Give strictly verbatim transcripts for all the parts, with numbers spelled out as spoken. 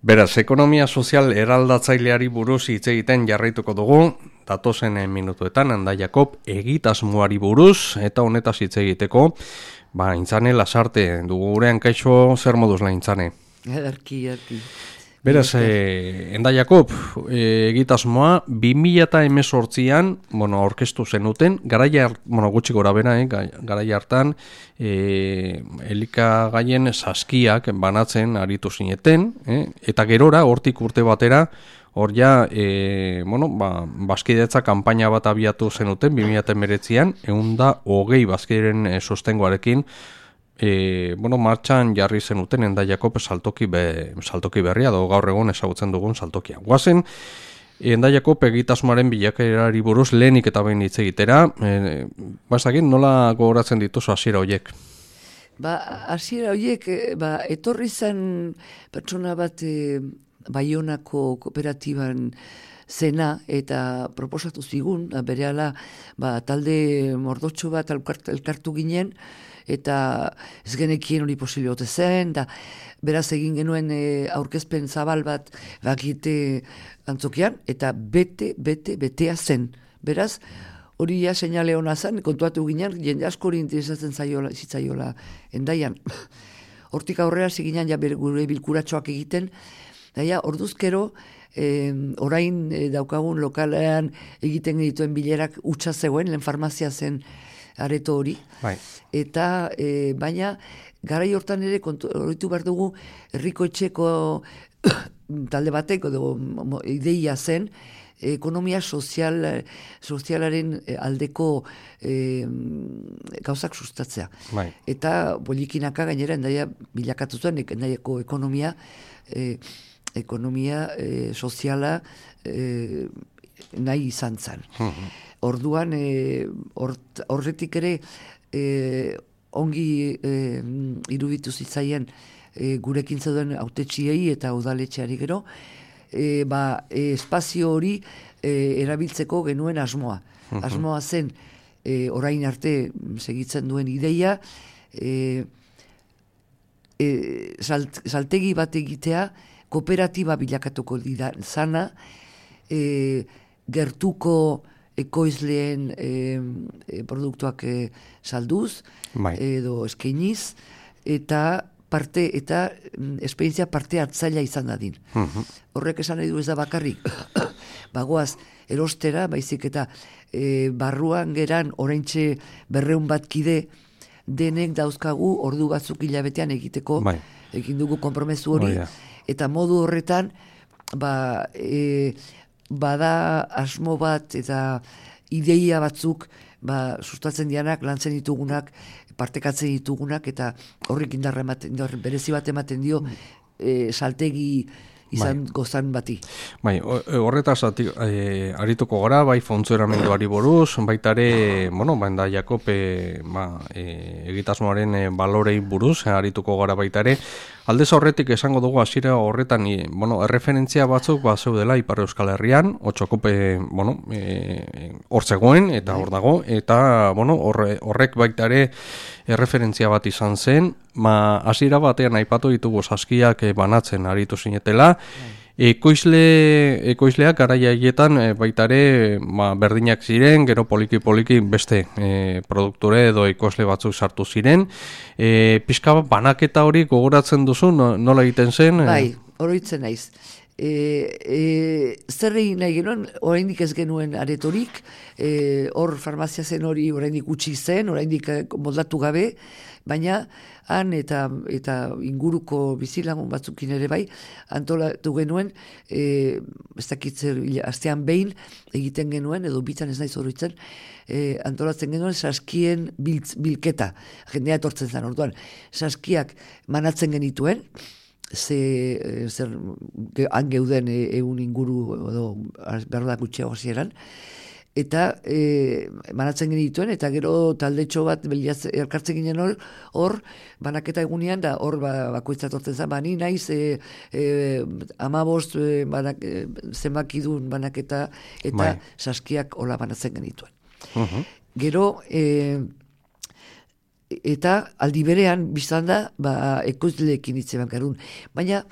Beraz, ekonomia sozial eraldatzaileari buruz hitz egiten jarraituko dugu, datozen minutuetan, Anda Jakob egitasmoari buruz, eta honetaz hitz egiteko, ba, Intzane Lasarte, dugu gurean. Kaixo, zer moduz la Intzane? Erki, erki. Beraz, eh, Enda Jakob, eh, egitasmoa bi mila hemezortzian, bueno, aurkeztu zenuten, garaia, bueno, gutxi gora bera, eh, garaia hartan, eh, elikagaien saskiak banatzen aritu zineten, eh, eta gerora, hortik urte batera, hor ja, eh, bueno, ba, bazkidetza kanpaina bat abiatu zenuten, bi mila hemeretzian, ehun eta hogei bazkideren eh, sostengoarekin, E, bueno, martxan jarri zenuten Enda Jakob saltoki, be, saltoki berria, do gaur egun ezagutzen dugun saltokia. Guazen, Enda Jakob egitasmoaren bilakaerari buruz lehenik eta behin hitz egitera, e, bazakin, nola gogoratzen dituzu hasiera horiek? Ba, hasiera horiek, ba, etorri zen pertsona bat e, Baionako kooperatiban zena eta proposatu zigun, berehala ba, talde mordotxo bat elkartu ginen, eta ez genekien hori posible ote zen, da beraz egin genuen e, aurkezpen zabal bat bakite antzokian, eta bete, bete, betea zen. Beraz, hori ja seinale hona zen, kontuatu ginen, jende asko hori interesatzen zaiola, zitzaiola Endaian. Hortik aurrera ziginan ja gure bilkuratxoak egiten, da ja, orduzkero, e, orain e, daukagun lokalean egiten dituen bilerak utxa zegoen, lehen farmazia zen areto hori. Bai. Eta e, baina garai hortan ere horretu behar dugu herriko etxeko talde bateko dugu ideia zen ekonomia sozial, sozialaren aldeko e, gauzak sustatzea. Bai. Eta polikinaka gainera Endaia bilakatu zuen, Endaiako ekonomia e, ekonomia e, soziala e, nahi izan zen. Uh-huh. Orduan e, horretik ere e, ongi e, iruditu zitzaien e, gurekin zeuden hautetsiei eta udaletxeari gero, e, ba, e, espazio hori e, erabiltzeko genuen asmoa. Uh-huh. Asmoa zen e, orain arte segitzen duen ideia, e, e, salt, saltegi bat egitea kooperatiba bilakatuko dira zana, e, gertuko ekoizleen e, e, produktuak e, salduz, bai. Edo eskainiz, eta parte eta esperientzia parte hartzailea izan dadin. Uh-huh. Horrek esan nahi du ez da bakarrik, bagoaz erostera, baizik eta e, barruan geran oraintxe berreun bat kide denek dauzkagu ordu batzuk hilabetean egiteko, bai. Egin dugu konpromesu hori, oh, yeah. Eta modu horretan, ba, e, bada asmo bat eta ideia batzuk ba, sustatzen dianak, lantzen ditugunak, partekatzen ditugunak, eta horrik indarra ematen, indarra berezi bat ematen dio e, saltegi izan bai. Gozan bati. Bai, horretaz e, arituko gara, bai funtzionamenduari buruz, baita ere, bueno, Enda Jakob e, ba, e, egitasmoaren e, balorei buruz, e, arituko gara baita ere. Aldez horretik esango dugu hasiera horretan, e, bueno, erreferentzia batzuk ba zeudela Ipar Euskal Herrian, Otxokope, bueno, e, hor zegoen eta hor dago, eta bueno, horre, horrek baita ere erreferentzia bat izan zen, ma hasiera batean aipatu ditugu saskiak e, banatzen aritu zinetela. Ekoizle, ekoizleak garaia haietan e, baita ere ba, berdinak ziren, gero poliki-poliki beste e, produkture edo ekoizle batzuk sartu ziren. E, pixka banaketa hori gogoratzen duzu, no, nola egiten zen? Bai, oroitzen naiz. E, e, zer egin nahi genuen, oraindik ez genuen aretorik, e, hor farmazia zen hori oraindik utzi zen, oraindik moldatu gabe, baina han eta eta inguruko bizilagun batzukin ere bai, antolatu genuen, e, ez dakitzer, astean behin egiten genuen, edo bitan ez naiz oroitzen, e, antolatzen genuen saskien biltz, bilketa, jendea etortzen zen orduan, saskiak manatzen genituen, ze, zer, han geuden egun inguru, edo behar da gutxeago hasieran, eta e, manatzen genituen, eta gero taldetxo bat beliaz, elkartzen ginen hor, hor, banaketa egunean, da hor ba, bakoitza tortzen zen, bani naiz, e, e, amabost e, banak, e, zenbakidun banaketa, eta bai. Saskiak hola banatzen genituen. Uh-huh. Gero, e, eta aldi berean biztan da, ba, ekoizleekin hitz eman garun. Baina,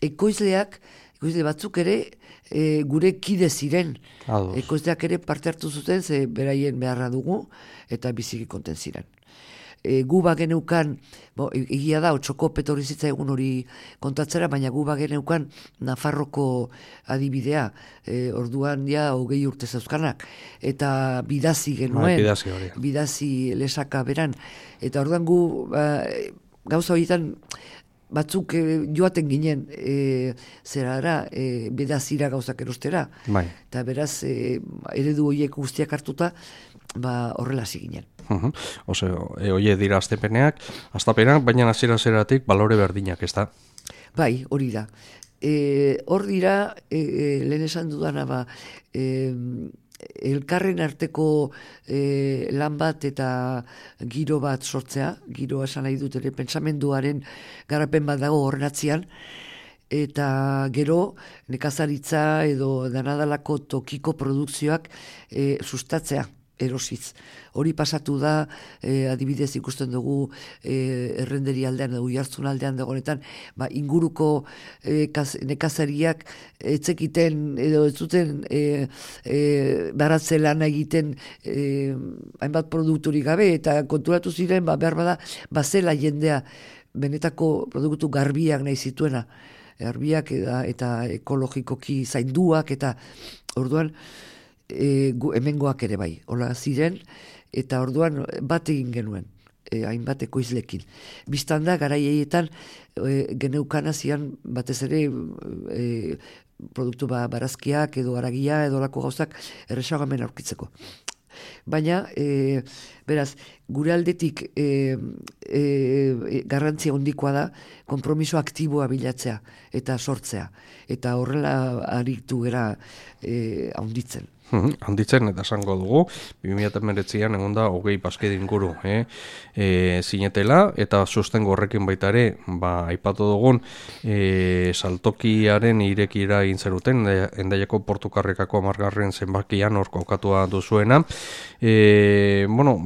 ekoizleak, ekoizle batzuk ere, e, gure kide ziren. Ados. Ekoizleak ere parte hartu zuten, ze beraien beharra dugu, eta biziki konten ziren. E, gu bageneukan, bo, egia da, otxoko petorri zitzaigun hori kontatzera, baina gu bageneukan Nafarroko adibidea, e, orduan ja hogei urte zeuzkanak, eta bidazi genuen, Bai, bidazi hori. bidazi lesaka beran, eta orduan gu ba, gauza horietan batzuk e, joaten ginen e, zerara, e, bedazira gauzak erostera, Bai. eta beraz e, eredu horiek guztiak hartuta, ba, horrela hasi ginen. Uh-huh. Oseo, e, oie dira aztepeneak, aztapenak, baina hasiera-hasieratik balore berdinak, ez da? Bai, hori da. E, hor dira, e, e, lehen esan dudana, ba, e, elkarren arteko e, lan bat eta giro bat sortzea, giroa esan nahi dut ere, pentsamenduaren garapen bat dago horren atzian, eta gero nekazaritza edo danadalako tokiko produkzioak e, sustatzea, erosiz. Hori pasatu da, eh, adibidez ikusten dugu eh, errenderi aldean, edo jartzun aldean dagoenetan, ba, inguruko eh, kaz, nekazariak etzekiten, edo ez zuten eh, eh, baratze lana egiten eh, hainbat produkturi gabe, eta konturatu ziren, ba, behar bada, bazela jendea benetako produktu garbiak nahi zituena, garbiak eta, eta ekologikoki zainduak, eta orduan, E, gu, hemengoak ere bai, hola ziren, eta orduan bat egin genuen, e, hainbat ekoizlekin. Bistan da, garaietan e, geneukan zian batez ere e, produktu ba, barazkiak edo aragia edo lako gauzak erresagamen aurkitzeko. Baina, e, beraz, gure aldetik e, e, garrantzia hondikoa da konpromiso aktiboa bilatzea eta sortzea. Eta horrela aritu gera e, haunditzen. Handitzen eta esango dugu, bi mila hemeretzian egon da hogei bazkide inguru eh? e, zinetela, eta sustengo horrekin baita ere, ba, aipatu dugun e, saltokiaren irekira egin zeruten, Hendaiako Portukarrekako hamargarren zenbakian hor kokatua duzuena. E, bueno,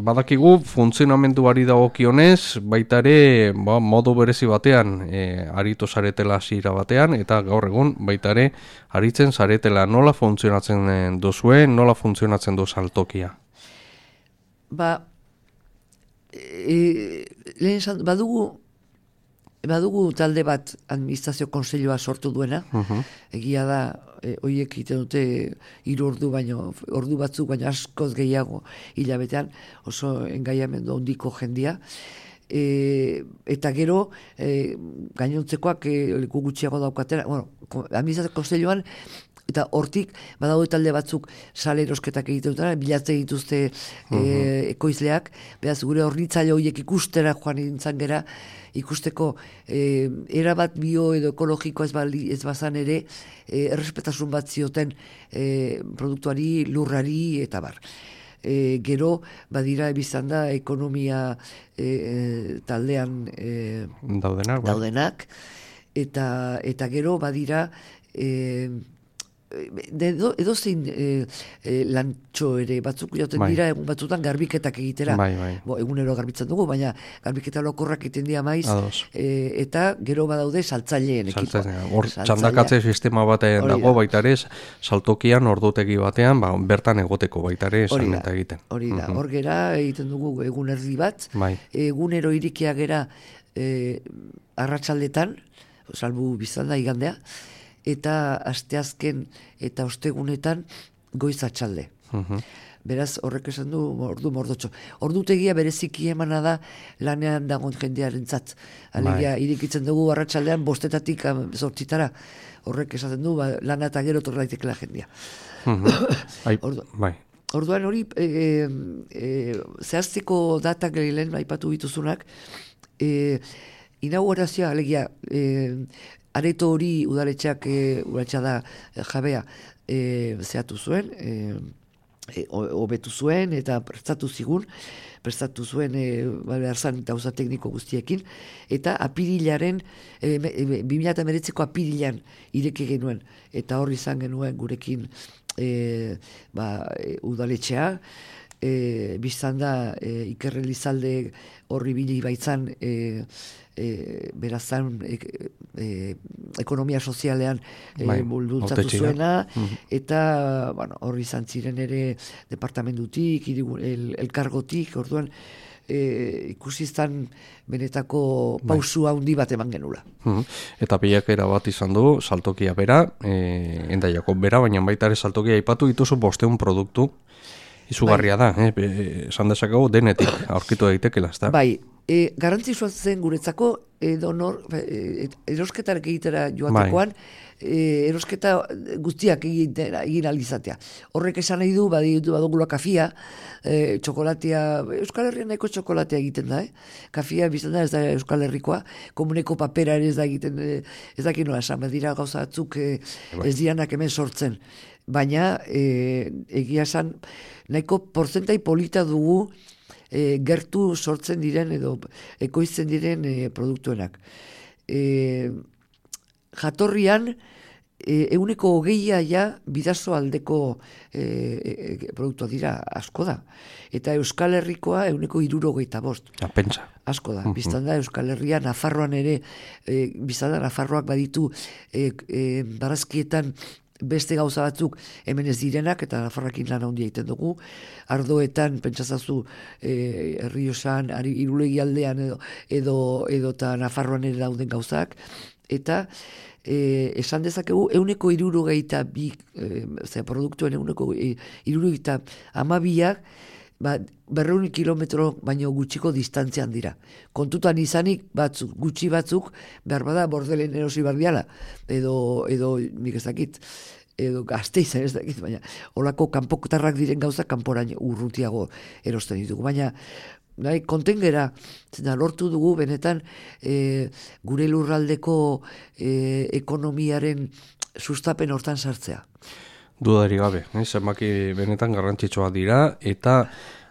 badakigu funtzionamenduari dagokionez, baita ere ba, modu berezi batean e, aritu zaretela hasiera batean, eta gaur egun baita ere aritzen zaretela. Nola funtzionatzen duzuen, nola funtzionatzen du saltokia? Ba, e, lehen esan, badugu, badugu talde bat administrazio konseilua sortu duena, uh-huh. Egia da, e, oiek egiten dute hiru ordu baino, ordu batzuk baino askoz gehiago hilabetean, oso engaiamendu handiko jendia, e, eta gero e, gainontzekoak e, leku gutxiago daukatera, bueno, administrazio kontseiluan, eta hortik badaude talde batzuk sale erosketak egiten dutena, bilatzen dituzte uh-huh. e, ekoizleak, beraz gure hornitzaile horiek ikustera joan nintzen gera, ikusteko e, erabat bio edo ekologiko ez, bali, ez bazan ere, e, errespetasun bat zioten e, produktuari, lurrari eta bar. E, gero, badira biztan da, ekonomia e, e, taldean e, daudenak, ba. daudenak eta, eta gero badira e, edo, edo zein e, e, lantxo ere batzuk joten bai. dira egun batzutan garbiketak egitera. Bai, bai. Bo, egunero garbitzen dugu, baina garbiketa lokorrak egiten dira maiz, e, eta gero badaude saltzaileen ekipoa. Hor txandakatze sistema batean dago baita ere, saltokian ordutegi batean, ba, bertan egoteko baita ere salmenta egiten. Hori da, hor gera egiten dugu egun erdi bat, bai. egunero irikia gera e, arratsaldetan, salbu biztan da igandea, eta asteazken eta ostegunetan goiz atxalde. Uh-huh. Beraz, horrek esan du ordu mordotxo. Ordutegia bereziki emana da lanean dagoen jendearen zat. Alegia, irikitzen dugu arratsaldean bostetatik zortzitara. Horrek esaten du, ba, lana eta gero torra daitekela jendea. Uh-huh. Ordu, bai. Orduan hori, e, e, zehaztiko datak lehen aipatu dituzunak, e, inaugurazioa, alegia, e, areto hori udaletxeak, e, udaletxea da e, jabea, e, zehatu zuen, e, hobetu zuen eta prestatu zigun, prestatu zuen e, beharzan eta usa tekniko guztiekin, eta apirilaren, e, e, bi mila hemeretziko apirilan ireki genuen, eta hor izan genuen gurekin e, ba, e, udaletxea, e, biztan da e, Iker Elizalde horri bili baitzan e, e, berazan e, e, ekonomia sozialean e, bai, bultzatu hautetxea. zuena, Mhm. eta bueno, horri izan ziren ere departamentutik, hirigu- el, elkargotik, orduan e, ikusi izan benetako pausua handi bat eman genula. Mhm. Eta pilakera bat izan du, saltokia bera, e, endaiako bera, baina baita ere saltokia aipatu dituzu bosteun produktu, izugarria da, eh? Be- esan dezakegu denetik aurkitu daitekela, ezta? Bai, e, garantzitsua zen guretzako edo nor, e, erosketak egitera joatekoan, e, erosketa guztiak egin, egin alizatea. Horrek esan nahi du, baditu badugula kafia, e, txokolatea, Euskal Herrian nahiko txokolatea egiten da, eh? Kafia biztan da ez da Euskal Herrikoa, komuneko papera ere ez da egiten, e, ez da nola esan, badira gauza batzuk e, ez dianak hemen sortzen. Baina e, egia esan, nahiko porzentai polita dugu e, gertu sortzen diren edo ekoiztzen diren e, produktuenak. E, jatorrian, e, euneko hogeia ja bidazo aldeko e, e, produktua dira, asko da. Eta Euskal Herrikoa euneko hirurogeita bost. Ja, pentsa. Asko da, biztan da Euskal Herria, Nafarroan ere, e, biztan da Nafarroak baditu e, e, barazkietan beste gauza batzuk hemen ez direnak, eta Nafarrakin lan handia egiten dugu. Ardoetan, pentsazazu, e, Errioxan, Irulegi aldean edo, edo, edo ta Nafarroan ere dauden gauzak, eta e, esan dezakegu, euneko irurogeita bi, e, zera, produktuen euneko e, irurogeita amabiak, ba, berreun kilometro baino gutxiko distantzian dira. Kontutan izanik batzuk, gutxi batzuk, behar bada bordelen erosi bardiala, edo, edo nik ez dakit, edo Gasteizen ez dakit, baina olako kanpotarrak diren gauza kanporain urrutiago erosten ditugu. Baina nahi, kontengera, zena lortu dugu benetan e, gure lurraldeko e, ekonomiaren sustapen hortan sartzea. Dudari gabe, eh? Zenbaki benetan garrantzitsua dira, eta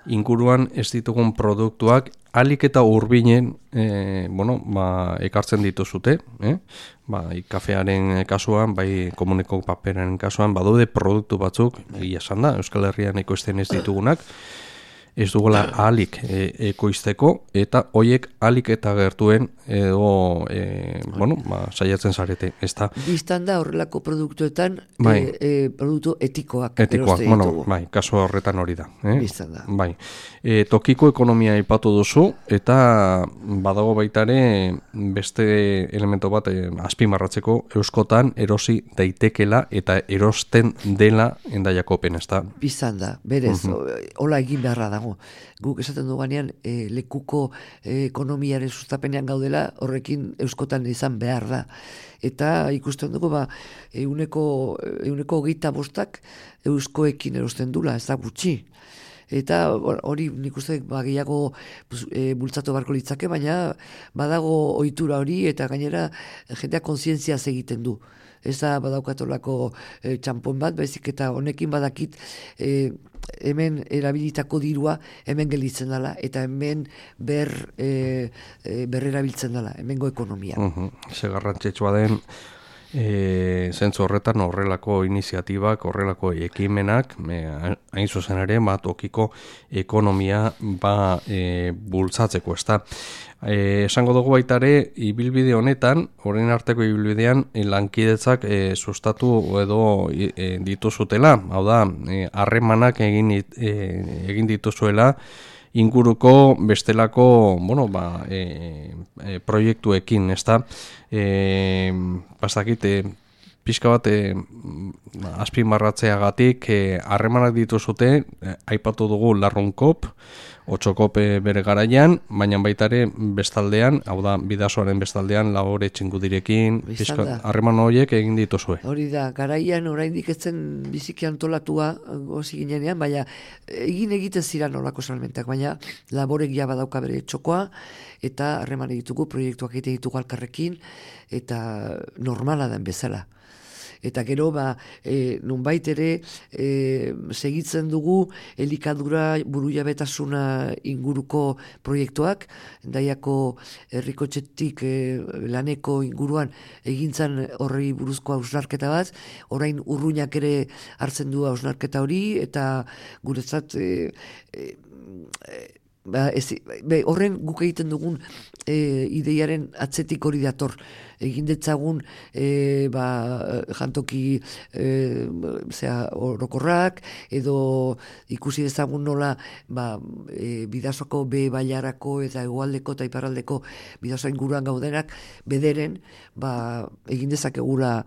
inguruan ez ditugun produktuak alik eta urbinen e, bueno, ba, ekartzen dituzute, eh? Ba, kafearen kasuan, bai komuneko paperaren kasuan, badaude produktu batzuk, egia esan da, Euskal Herrian ekoizten ez ditugunak, ez dugula ahalik e, ekoizteko, eta hoiek ahalik eta gertuen edo, e, bueno, ba, saiatzen zarete, ez da. Biztan da horrelako produktuetan Bai. e, e, produktu etikoak. Etikoak, erosten bueno, ditugu. bai, kasu horretan hori da. Eh? Biztan da. Bai. E, tokiko ekonomia aipatu duzu, eta badago baitare beste elemento bat e, azpimarratzeko euskotan erosi daitekela eta erosten dela endaiakopen, ez da? Biztan da, berez, hola egin beharra dago. Guk esaten duganean e, lekuko e, ekonomiaren sustapenean gaudela, horrekin euskotan izan behar da. Eta ikusten dugu, ba, euneko, euneko hogeita bostak euskoekin erosten dula, ez da gutxi. Eta hori nik uste ba, gehiago e, bultzatu barko litzake, baina badago ohitura hori eta gainera jendeak kontzientziaz egiten du. Ez da badaukatolako e, txampon bat, baizik eta honekin badakit e, hemen erabilitako dirua hemen gelditzen dela, eta hemen ber, e, e, berrerabiltzen dela, hemengo ekonomia. Uh-huh. Ze garrantzitsua den, e, zentzu horretan horrelako iniziatibak, horrelako ekimenak, e, hain zuzen ere, ba, tokiko ekonomia ba, e, bultzatzeko, ez da. E, esango dugu baitare, ibilbide honetan, orain arteko ibilbidean, e, lankidetzak e, sustatu edo e, dituzutela, hau da, harremanak e, egin, e, egin dituzuela, inguruko bestelako, bueno, ba, e, e, proiektuekin, ez da, e, pasakit, e, pixka bat e, azpimarratzeagatik harremanak e, dituzute, e, aipatu dugu larrunkop, otxokope bere garaian, baina baitare bestaldean, hau da, bidasoaren bestaldean, labore txingudirekin, harreman horiek egin dituzue. Hori da, garaian oraindik ez zen biziki antolatua, gozi ginenean, baina egin egiten ziren olako salmentak, baina laborek ja badauka bere txokoa, eta harreman egitugu, proiektuak egiten ditugu alkarrekin, eta normala den bezala. Eta gero, ba, e, nunbait ere e, segitzen dugu elikadura burujabetasuna inguruko proiektuak, Hendaiako herrikotxetik e, laneko inguruan egintzan horri buruzko hausnarketa bat, orain urruñak ere hartzen du hausnarketa hori, eta guretzat e, e, e, ba, ez, be, horren guk egiten dugun e, ideiaren atzetik hori dator. Egin detzagun e, ba, jantoki e, zera, orokorrak, edo ikusi dezagun nola ba, e, bidasoko be bailarako eta hegoaldeko eta iparraldeko bidasoa inguruan gaudenak bederen ba, egin dezakegula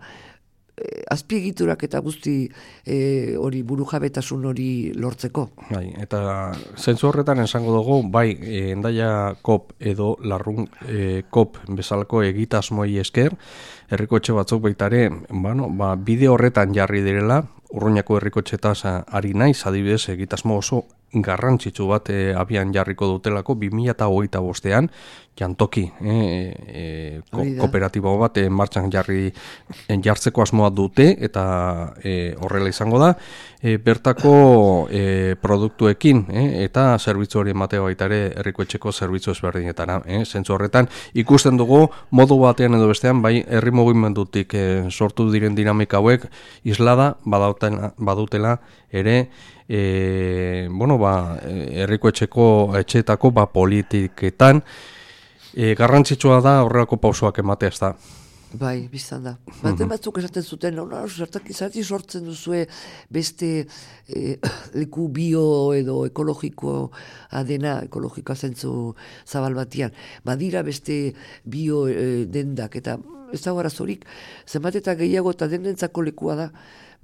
azpiegiturak eta guzti e, hori burujabetasun hori lortzeko. Bai, eta zentzu horretan esango dugu, bai, e, Hendaia kop edo Larrun e, kop bezalako egitasmoi esker, herrikotxe batzuk baitare, bueno, ba, bide horretan jarri direla, Urruñako herrikotxetaz ari naiz, adibidez, egitasmo oso garrantzitsu bat e, abian jarriko dutelako bi mila hogeita bostean, jantoki e, e, ko, kooperatibo bat e, martxan jarri jartzeko asmoa dute, eta e, horrela izango da, e, bertako e, produktuekin e, eta zerbitzu hori ematea baita ere herrikoetxeko zerbitzu ezberdinetara. E, zentzu horretan ikusten dugu modu batean edo bestean, bai herri mugimendutik e, sortu diren dinamika hauek islada badautela, badutela ere E, bueno, ba, herriko etxeko etxeetako ba, politiketan e, garrantzitsua da horrelako pausoak ematea, ez da. Bai, biztan da. Baten batzuk esaten zuten, no, zertak izati sortzen duzue beste e, leku bio edo ekologikoa dena, ekologikoa zentzu zabal batian. Badira beste bio e, dendak, eta ez da arazorik, zenbat eta gehiago eta denentzako lekua da,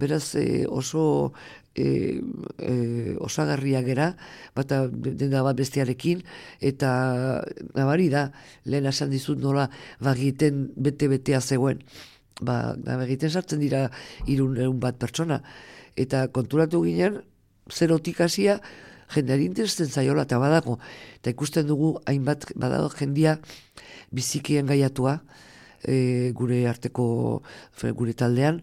beraz e, oso e, e, osagarria gera, bata denda bat bestearekin, eta nabari da, lehen esan dizut nola bagiten bete-betea zegoen. Ba, bagiten sartzen dira irun egun bat pertsona. Eta konturatu ginen, zerotik hasia, jendeari interesten zaiola, eta badago. Eta ikusten dugu, hainbat badago jendia bizikien gaiatua, e, gure arteko, gure taldean,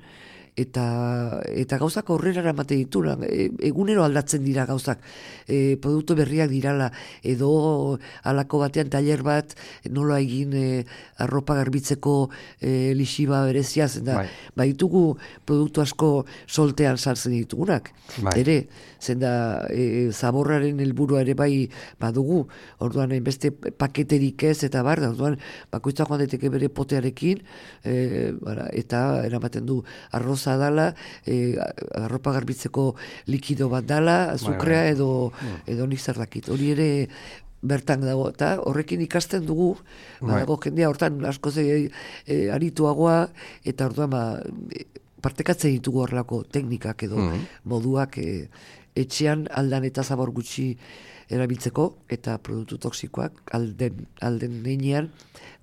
eta eta gauzak aurrera eramaten ditu, e, egunero aldatzen dira gauzak, e, produktu berriak dirala, edo halako batean tailer bat nola egin e, arropa garbitzeko e, lixiba berezia, zenda bai. Baitugu produktu asko soltean sartzen ditugunak, bai. Ere, zenda e, zaborraren helburua ere bai badugu, orduan beste paketerik ez, eta bar, orduan bakoitza joan daiteke bere potearekin, e, bara, eta eramaten du arroz dala, e, arropa garbitzeko likido bat dala, azukrea edo, edo nik zer dakit. Hori ere bertan dago, eta horrekin ikasten dugu, badago jendea hortan asko ze e, arituagoa, eta orduan ba, partekatzen ditugu horrelako teknikak edo mm. moduak e, etxean aldan eta zabor gutxi erabiltzeko, eta produktu toksikoak alden, alden neinean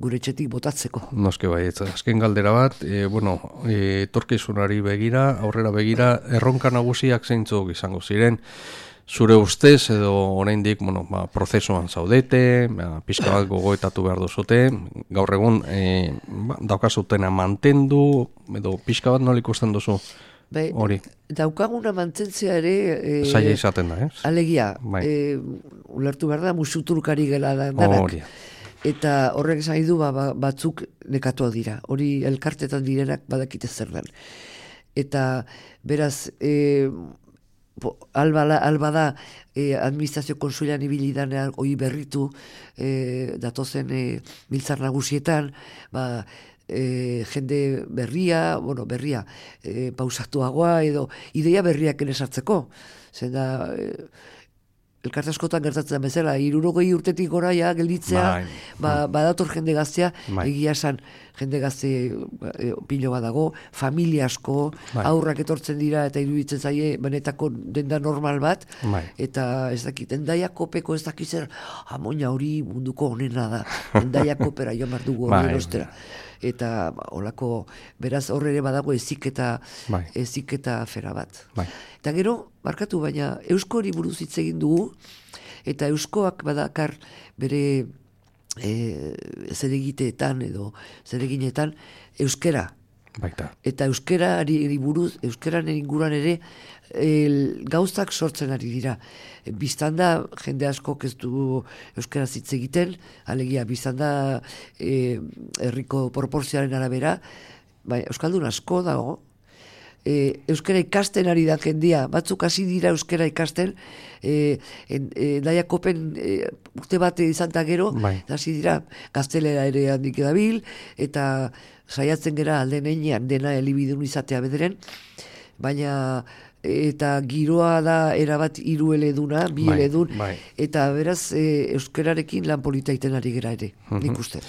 gure etxetik botatzeko. Noske bai, azken galdera bat, e, bueno, e, torkizunari begira, aurrera begira, erronka nagusiak zeintzuk izango ziren, zure ustez edo oraindik, bueno, ba, prozesuan zaudete, ba, pixka bat gogoetatu behar duzute, gaur egun e, ba, daukazutena mantendu, edo pixka bat nola ikusten duzu? Bai, daukaguna mantentzea ere e, zaila izaten da, ez? Alegia, bai. e, ulertu behar da, musuturkari gela da danak. Eta horrek esan du ba, batzuk nekatuak dira. Hori elkartetan direnak badakite zer den. Eta beraz, e, alba, alba da e, administrazio konsulian ibilidanean hori berritu e, datozen e, biltzar nagusietan, ba, E, jende berria, bueno, berria, e, pausatuagoa edo ideia berriak enesartzeko. Zenda, e, elkarte askotan gertatzen bezala, hirurogei urtetik gora ja gelditzea, ba, badator jende gaztea, bai. Egia esan jende gazte e, pilo badago, familia asko, bai. Aurrak etortzen dira eta iruditzen zaie benetako denda normal bat, bai. Eta ez dakit, Hendaia kopeko ez dakitzer, amoina hori munduko honena da, Hendaia kopera jo mardugu hori erostera. Eta ba, olako, beraz horre ere badago eziketa, bai. eziketa afera bat. Bai. Eta gero, barkatu baina, eusko hori buruz hitz egin dugu, eta euskoak badakar bere e, zeregiteetan edo zereginetan euskera Baita. Eta euskerari buruz, euskeraren inguruan ere el, gauzak sortzen ari dira. Biztanda jende askok ez du euskaraz hitz egiten, alegia biztanda e, herriko proportzioaren arabera, bai, euskaldun asko dago, e, euskara ikasten ari da jendia, batzuk hasi dira euskara ikasten, e, en, e, Daiakopen e, urte bat izan eta gero, bai. hasi dira gaztelera ere handik edabil, eta saiatzen gera alden einean dena elibidun izatea bederen, baina eta giroa da erabat hiru eleduna, bi bai, eledun, bai. eta beraz e, euskararekin lan polita iten ari gera ere, Mhm. nik uste.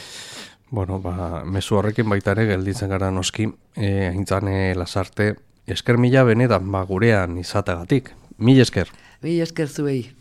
Bueno, ba, mezu horrekin baita ere gelditzen gara noski, e, aintzane Lasarte, esker mila benetan ba, gurean izategatik. Mil esker. Mila esker zuei.